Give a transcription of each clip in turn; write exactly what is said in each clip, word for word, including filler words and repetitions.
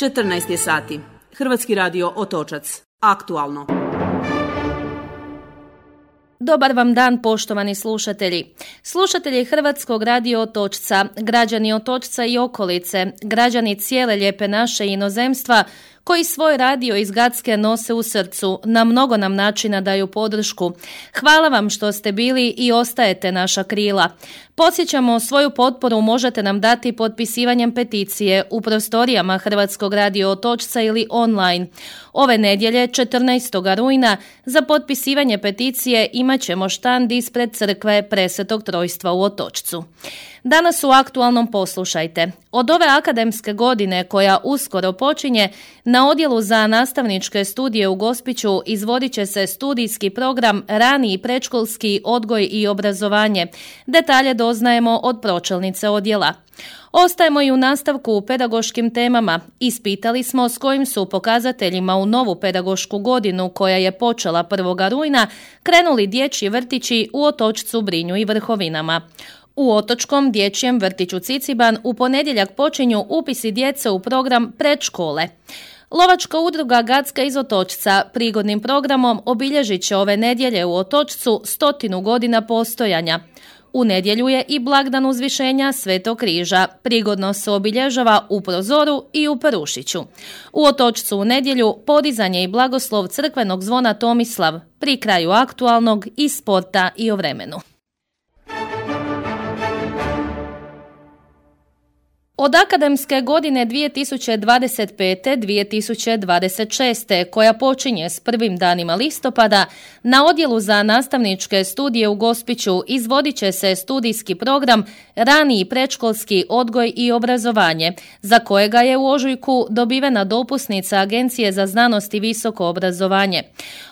četrnaest je sati. Hrvatski radio Otočac. Aktualno. Dobar vam dan, poštovani slušatelji. Slušatelji Hrvatskog radio Otočca, građani Otočca i okolice, građani cijele lijepe naše inozemstva, koji svoj radio iz Gacke nose u srcu, na mnogo nam načina daju podršku. Hvala vam što ste bili i ostajete naša krila. Podsjećamo, svoju potporu možete nam dati potpisivanjem peticije u prostorijama Hrvatskog radio Otočca ili online. Ove nedjelje, četrnaestog rujna, za potpisivanje peticije imat ćemo štand ispred crkve Presvetog Trojstva u Otočcu. Danas u Aktualnom poslušajte. Od ove akademske godine koja uskoro počinje, na Odjelu za nastavničke studije u Gospiću izvodit će se studijski program Rani i predškolski odgoj i obrazovanje. Detalje doznajemo od pročelnice odjela. Ostajemo i u nastavku u pedagoškim temama. Ispitali smo s kojim su pokazateljima u novu pedagošku godinu koja je počela prvog rujna krenuli dječji vrtići u Otočcu, Brinju i Vrhovinama. U Otočkom dječjem vrtiću Ciciban u ponedjeljak počinju upisi djece u program predškole. Lovačka udruga Gacka iz Otočca prigodnim programom obilježit će ove nedjelje u Otočcu stotinu godina postojanja. U nedjelju je i blagdan uzvišenja Svetog križa. Prigodno se obilježava u Prozoru i u Perušiću. U Otočcu u nedjelju podizanje i blagoslov crkvenog zvona Tomislav, pri kraju aktualnog i sporta i o vremenu. Od akademske godine dvije tisuće dvadeset pete dvije tisuće dvadeset šeste, koja počinje s prvim danima listopada, na Odjelu za nastavničke studije u Gospiću izvodit će se studijski program Rani i predškolski odgoj i obrazovanje, za kojega je u ožujku dobivena dopusnica Agencije za znanost i visoko obrazovanje.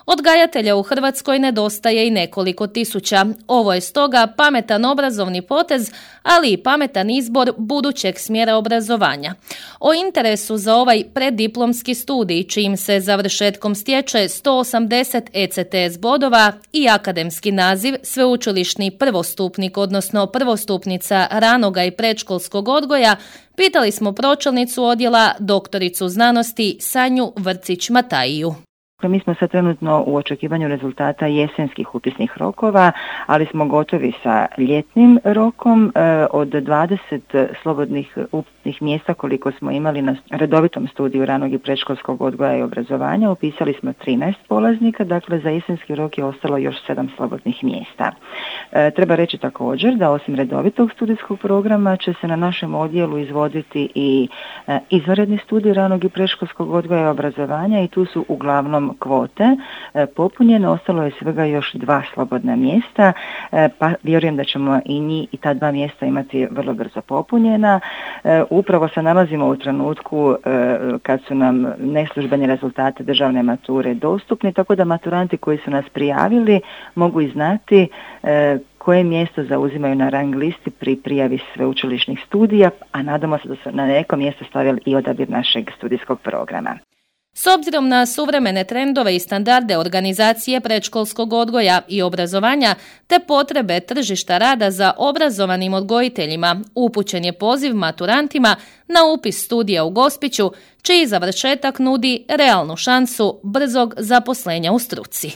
Odgajatelja u Hrvatskoj nedostaje i nekoliko tisuća. Ovo je stoga pametan obrazovni potez, ali i pametan izbor budućeg smjera obrazovanja. O interesu za ovaj preddiplomski studij, čijim se završetkom stječe sto osamdeset E C T S bodova i akademski naziv sveučilišni prvostupnik, odnosno prvostupnica ranoga i predškolskog odgoja, pitali smo pročelnicu odjela, doktoricu znanosti Sanju Vrcić-Matajiju. Mi smo sad trenutno u očekivanju rezultata jesenskih upisnih rokova, ali smo gotovi sa ljetnim rokom. Od dvadeset slobodnih upisnih mjesta koliko smo imali na redovitom studiju ranog i predškolskog odgoja i obrazovanja, upisali smo trinaest polaznika, dakle za jesenski rok je ostalo još sedam slobodnih mjesta. Treba reći također da osim redovitog studijskog programa će se na našem odjelu izvoditi i izvanredni studij ranog i predškolskog odgoja i obrazovanja i tu su uglavnom kvote popunjene, ostalo je svega još dva slobodna mjesta, pa vjerujem da ćemo i njih i ta dva mjesta imati vrlo brzo popunjena. Upravo se nalazimo u trenutku kad su nam neslužbeni rezultati državne mature dostupni, tako da maturanti koji su nas prijavili mogu i znati koje mjesto zauzimaju na rang listi pri prijavi sveučilišnih studija, a nadamo se da su na neko mjesto stavili i odabir našeg studijskog programa. S obzirom na suvremene trendove i standarde organizacije predškolskog odgoja i obrazovanja te potrebe tržišta rada za obrazovanim odgojiteljima, upućen je poziv maturantima na upis studija u Gospiću, čiji završetak nudi realnu šansu brzog zaposlenja u struci.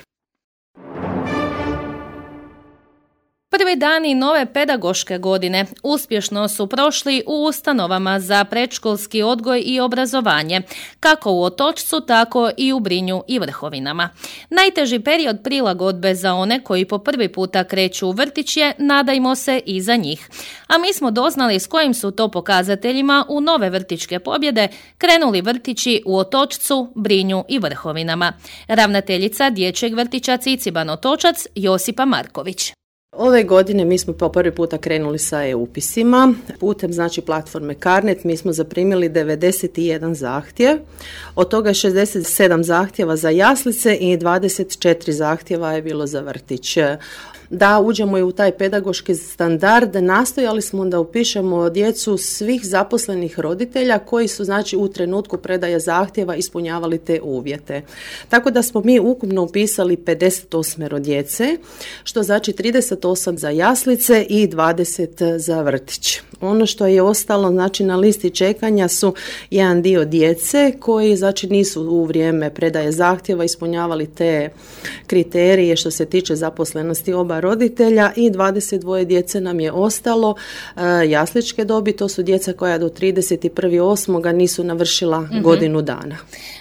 Prvi dani nove pedagoške godine uspješno su prošli u ustanovama za predškolski odgoj i obrazovanje, kako u Otočcu, tako i u Brinju i Vrhovinama. Najteži period prilagodbe za one koji po prvi puta kreću u vrtić je, nadajmo se, i za njih. A mi smo doznali s kojim su to pokazateljima u nove vrtićke pobjede krenuli vrtići u Otočcu, Brinju i Vrhovinama. Ravnateljica dječjeg vrtića Ciciban Otočac Josipa Marković. Ove godine mi smo po prvi puta krenuli sa e-upisima. Putem znači platforme Carnet mi smo zaprimili devedeset jedan zahtjev. Od toga šezdeset sedam zahtjeva za jaslice i dvadeset četiri zahtjeva je bilo za vrtić. Da uđemo i u taj pedagoški standard, nastojali smo da upišemo djecu svih zaposlenih roditelja koji su znači u trenutku predaje zahtjeva ispunjavali te uvjete. Tako da smo mi ukupno upisali pedeset osam djece, što znači trideset osam za jaslice i dvadeset za vrtić. Ono što je ostalo, znači na listi čekanja su jedan dio djece koji znači nisu u vrijeme predaje zahtjeva ispunjavali te kriterije što se tiče zaposlenosti oba roditelja i dvadeset dva djece nam je ostalo e, jasličke dobi, to su djeca koja do trideset prvog osmog nisu navršila mm-hmm. godinu dana.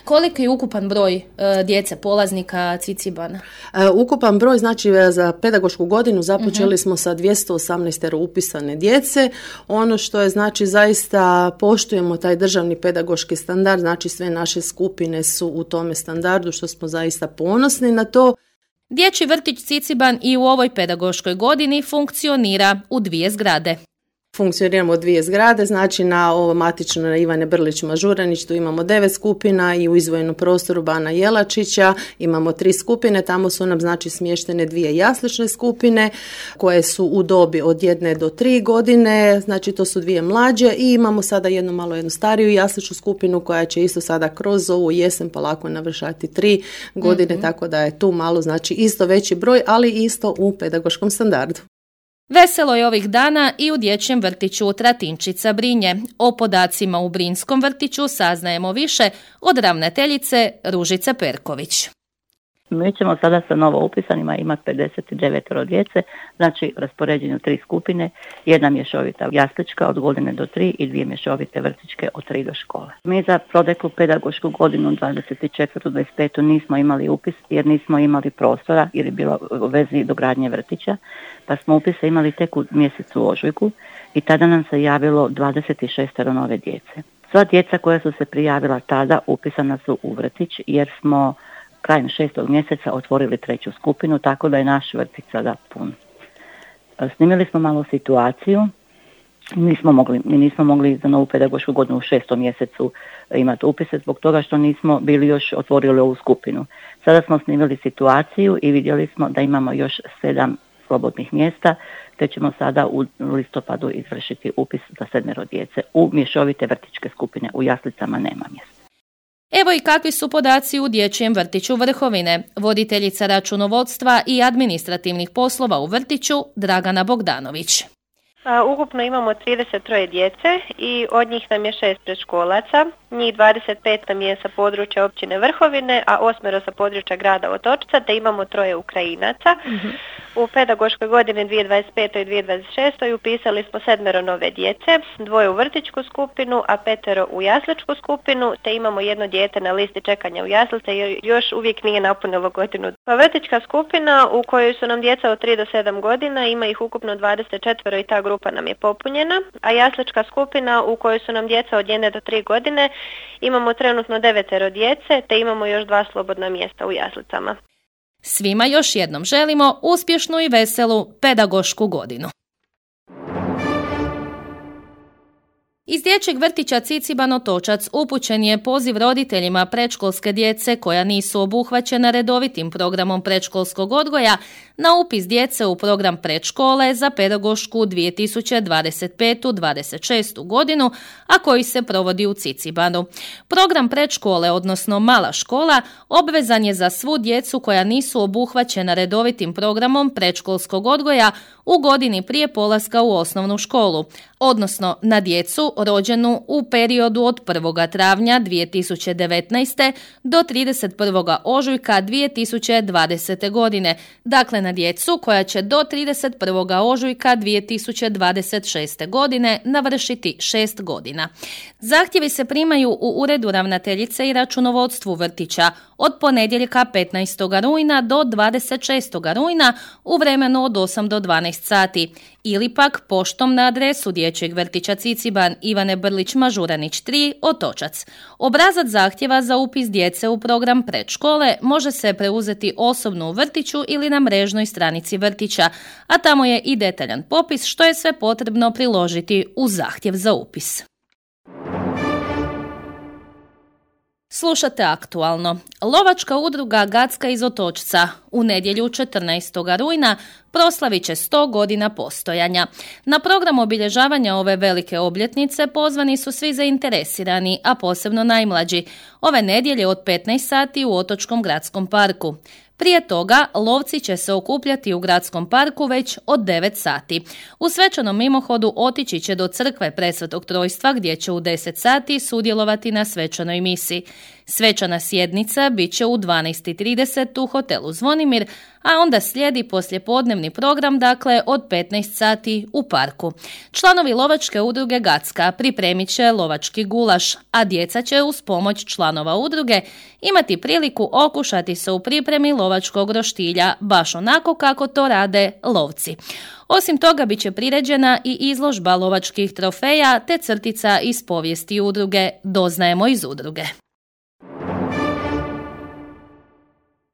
Koliki je ukupan broj e, djece polaznika Cicibana? E, ukupan broj, znači za pedagošku godinu započeli mm-hmm. smo sa dvjesto osamnaest upisane djece. Ono što je znači zaista poštujemo taj državni pedagoški standard, znači sve naše skupine su u tome standardu što smo zaista ponosni na to. Dječji vrtić Ciciban i u ovoj pedagoškoj godini funkcionira u dvije zgrade. Funkcioniramo dvije zgrade, znači na ovo matično na Ivane Brlić Mažuranić tu imamo devet skupina i u izdvojenom prostoru Bana Jelačića imamo tri skupine, tamo su nam znači smještene dvije jaslične skupine koje su u dobi od jedne do tri godine, znači to su dvije mlađe i imamo sada jednu malo jednu stariju jasličnu skupinu koja će isto sada kroz ovu jesen polako navršati tri godine, mm-hmm. tako da je tu malo znači isto veći broj, ali isto u pedagoškom standardu. Veselo je ovih dana i u dječjem vrtiću Tratinčica Brinje. O podacima u Brinskom vrtiću saznajemo više od ravnateljice Ružice Perković. Mi ćemo sada sa novo upisanima imati pedeset devet djece, znači raspoređene u tri skupine, jedna mješovita jaslička od godine do tri i dvije mješovite vrtićke od tri do škole. Mi za proteklu pedagošku godinu dvadeset četvrtu dvadeset petu nismo imali upis jer nismo imali prostora jer je bilo u vezi dogradnje vrtića, pa smo upise imali tek u mjesecu ožujku i tada nam se javilo dvadeset šest nove djece. Sva djeca koja su se prijavila tada upisana su u vrtić jer smo krajem šestog mjeseca otvorili treću skupinu, tako da je naš vrtić sada pun. Snimili smo malo situaciju, nismo mogli, mi nismo mogli za novu pedagošku godinu u šestom mjesecu imati upise zbog toga što nismo bili još otvorili ovu skupinu. Sada smo snimili situaciju i vidjeli smo da imamo još sedam slobodnih mjesta, te ćemo sada u listopadu izvršiti upis za sedmero djece u mješovite vrtićke skupine, u jaslicama nema mjesta. Evo i kakvi su podaci u dječjem vrtiću Vrhovine. Voditeljica računovodstva i administrativnih poslova u vrtiću Dragana Bogdanović. Ukupno imamo trideset tri djece i od njih nam je šest predškolaca, njih dvadeset pet nam je sa područja općine Vrhovine, a osmero sa područja grada Otočca, te imamo troje Ukrajinaca. Mm-hmm. U pedagoškoj godini dvije tisuće dvadeset pete i dvije tisuće dvadeset šeste upisali smo sedmero nove djece, dvoje u vrtićku skupinu, a petero u jasličku skupinu, te imamo jedno dijete na listi čekanja u jaslice jer još uvijek nije napunilo godinu. Pa vrtićka skupina u kojoj su nam djeca od tri do sedam godina, ima ih ukupno dvadeset četiri i ta grupa nam je popunjena, a jaslička skupina u kojoj su nam djeca od jedne do tri godine, imamo trenutno devetero djece, te imamo još dva slobodna mjesta u jaslicama. Svima još jednom želimo uspješnu i veselu pedagošku godinu. Iz dječjeg vrtića Ciciban Otočac upućen je poziv roditeljima predškolske djece koja nisu obuhvaćena redovitim programom predškolskog odgoja na upis djece u program predškole za pedagošku dvije tisuće dvadeset petu dvadeset šestu godinu, a koji se provodi u Cicibanu. Program predškole, odnosno mala škola, obvezan je za svu djecu koja nisu obuhvaćena redovitim programom predškolskog odgoja u godini prije polaska u osnovnu školu, odnosno na djecu rođenu u periodu od prvog travnja dvije tisuće devetnaeste do trideset prvog ožujka dvije tisuće dvadesete godine, dakle na djecu koja će do trideset prvog ožujka dvije tisuće dvadeset šeste godine navršiti šest godina. Zahtjevi se primaju u uredu ravnateljice i računovodstvu vrtića od ponedjeljka petnaestog rujna do dvadeset šestog rujna u vremenu od osam do dvanaest sati ili pak poštom na adresu dječjeg vrtića Ciciban Ivane Brlić Mažuranić tri, Otočac. Obrazac zahtjeva za upis djece u program predškole može se preuzeti osobno u vrtiću ili na mrežnoj stranici vrtića, a tamo je i detaljan popis što je sve potrebno priložiti uz zahtjev za upis. Slušate aktualno. Lovačka udruga Gacka iz Otočca u nedjelju četrnaestog rujna proslavit će sto godina postojanja. Na program obilježavanja ove velike obljetnice pozvani su svi zainteresirani, a posebno najmlađi. Ove nedjelje od petnaest sati u Otočkom gradskom parku. Prije toga lovci će se okupljati u gradskom parku već od devet sati. U svečanom mimohodu otići će do crkve Presvetog Trojstva gdje će u deset sati sudjelovati na svečanoj misi. Svečana sjednica bit će u dvanaest i trideset u hotelu Zvonimir, a onda slijedi poslijepodnevni program, dakle od petnaest sati u parku. Članovi lovačke udruge Gacka pripremit će lovački gulaš, a djeca će uz pomoć članova udruge imati priliku okušati se u pripremi lovačkog roštilja, baš onako kako to rade lovci. Osim toga bit će priređena i izložba lovačkih trofeja te crtica iz povijesti udruge Doznajemo iz udruge.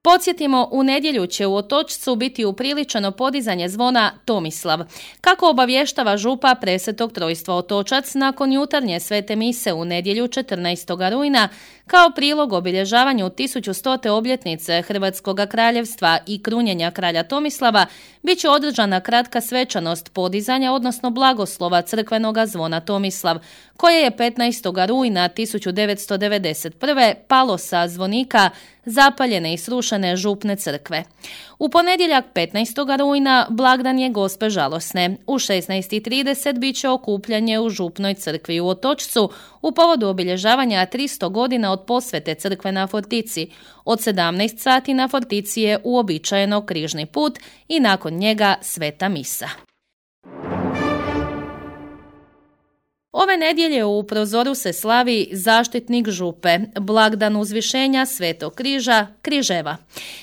Podsjetimo, u nedjelju će u Otočcu biti upriličeno podizanje zvona Tomislav. Kako obavještava župa Presvetog Trojstva Otočac nakon jutarnje svete mise u nedjelju četrnaestog rujna, kao prilog obilježavanju tisuću stote obljetnice Hrvatskog kraljevstva i krunjenja kralja Tomislava, bit će održana kratka svečanost podizanja, odnosno blagoslova crkvenog zvona Tomislav, koje je petnaestog rujna tisuću devetsto devedeset prve palo sa zvonika zapaljene i srušene župne crkve. U ponedjeljak petnaestog rujna blagdan je Gospe Žalosne. U šesnaest i trideset bit će okupljanje u župnoj crkvi u Otočcu u povodu obilježavanja tristo godina od posvete crkve na Fortici. Od sedamnaest sati na Fortici je uobičajeno križni put i nakon njega sveta misa. Ove nedjelje u Prozoru se slavi zaštitnik župe, blagdan uzvišenja Svetog križa, Križeva.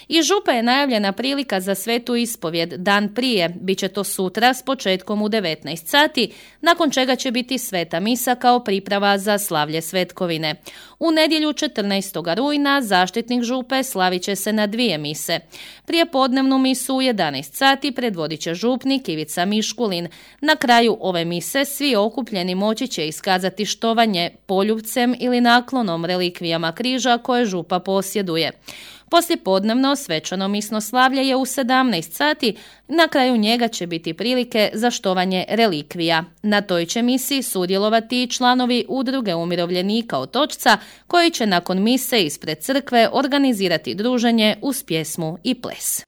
Iz župe je najavljena prilika za svetu ispovjed dan prije, bit će to sutra s početkom u devetnaest sati, nakon čega će biti sveta misa kao priprava za slavlje svetkovine. U nedjelju četrnaestog rujna zaštitnik župe slavit će se na dvije mise. Prije podnevnu misu u jedanaest sati predvodit će župnik Ivica Miškulin. Na kraju ove mise svi okupljeni moći će iskazati štovanje poljubcem ili naklonom relikvijama križa koje župa posjeduje. Poslijepodnevno svečano misno slavlje je u sedamnaest sati, na kraju njega će biti prilike za štovanje relikvija. Na toj će misi sudjelovati i članovi udruge umirovljenika Otočca, koji će nakon mise ispred crkve organizirati druženje uz pjesmu i ples.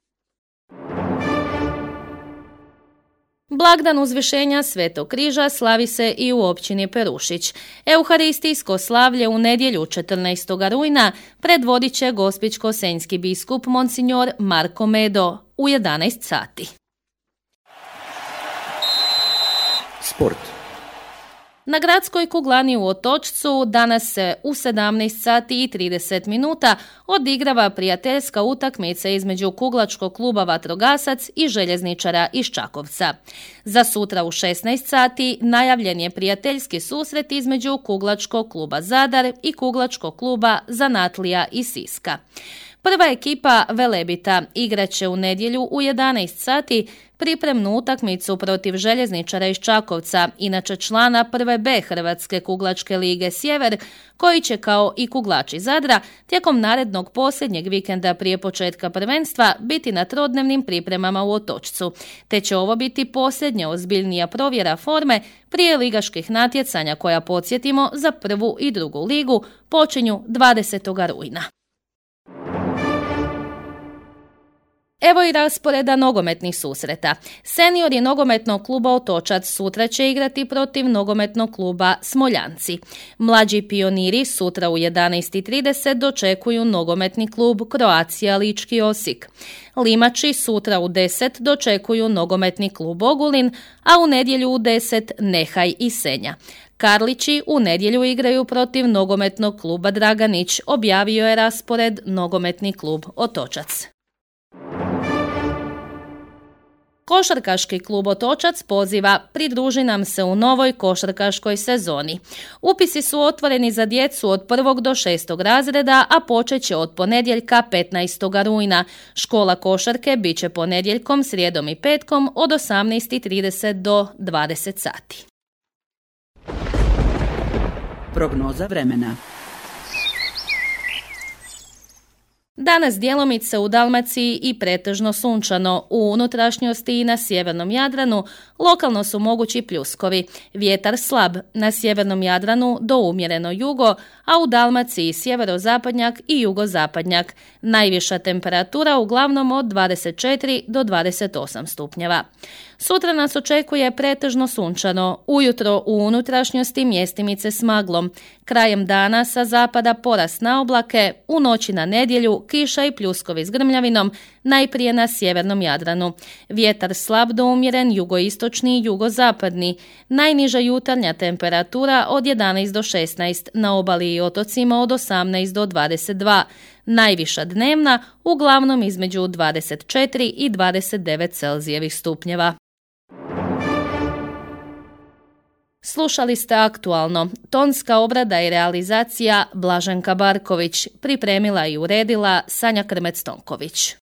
Blagdan uzvišenja Svetog križa slavi se i u općini Perušić. Euharistijsko slavlje u nedjelju četrnaestog rujna predvodit će gospićko-senjski biskup Monsignor Marko Medo u jedanaest sati. Sport. Na gradskoj kuglani u Otočcu danas se u sedamnaest sati i trideset minuta odigrava prijateljska utakmica između kuglačkog kluba Vatrogasac i željezničara iz Čakovca. Za sutra u šesnaest sati najavljen je prijateljski susret između kuglačkog kluba Zadar i kuglačkog kluba Zanatlija iz Siska. Prva ekipa Velebita igraće u nedjelju u jedanaest sati pripremnu utakmicu protiv željezničara iz Čakovca, inače člana prve B Hrvatske kuglačke lige Sjever, koji će kao i kuglači Zadra tijekom narednog posljednjeg vikenda prije početka prvenstva biti na trodnevnim pripremama u Otočcu, te će ovo biti posljednja ozbiljnija provjera forme prije ligaških natjecanja koja, podsjetimo, za prvu i drugu ligu počinju dvadesetog rujna. Evo i rasporeda nogometnih susreta. Seniori nogometnog kluba Otočac sutra će igrati protiv nogometnog kluba Smoljanci. Mlađi pioniri sutra u jedanaest i trideset dočekuju nogometni klub Croatia Lički Osijek. Limači sutra u deset dočekuju nogometni klub Ogulin, a u nedjelju u deset Nehaj i Senja. Karlići u nedjelju igraju protiv nogometnog kluba Draganić, objavio je raspored nogometni klub Otočac. Košarkaški klub Otočac poziva: pridruži nam se u novoj košarkaškoj sezoni. Upisi su otvoreni za djecu od prvog do šestog razreda, a počet će od ponedjeljka petnaestog rujna. Škola košarke bit će ponedjeljkom, srijedom i petkom od osamnaest i trideset do dvadeset sati. Prognoza vremena. Danas djelomice u Dalmaciji i pretežno sunčano. U unutrašnjosti i na sjevernom Jadranu lokalno su mogući pljuskovi. Vjetar slab, na sjevernom Jadranu do umjereno jugo, a u Dalmaciji sjeverozapadnjak i jugozapadnjak. Najviša temperatura uglavnom od dvadeset četiri do dvadeset osam stupnjeva. Sutra nas očekuje pretežno sunčano. Ujutro u unutrašnjosti mjestimice s maglom. Krajem dana sa zapada porast na oblake, u noći na nedjelju kiša i pljuskovi s grmljavinom, najprije na sjevernom Jadranu. Vjetar slab do umjeren jugoistočni i jugozapadni. Najniža jutarnja temperatura od jedanaest do šesnaest, na obali i otocima od osamnaest do dvadeset dva. Najviša dnevna uglavnom između dvadeset četiri i dvadeset devet Celzijevih stupnjeva. Slušali ste Aktualno. Tonska obrada i realizacija Blaženka Barković. Pripremila i uredila Sanja Krmec-Tonković.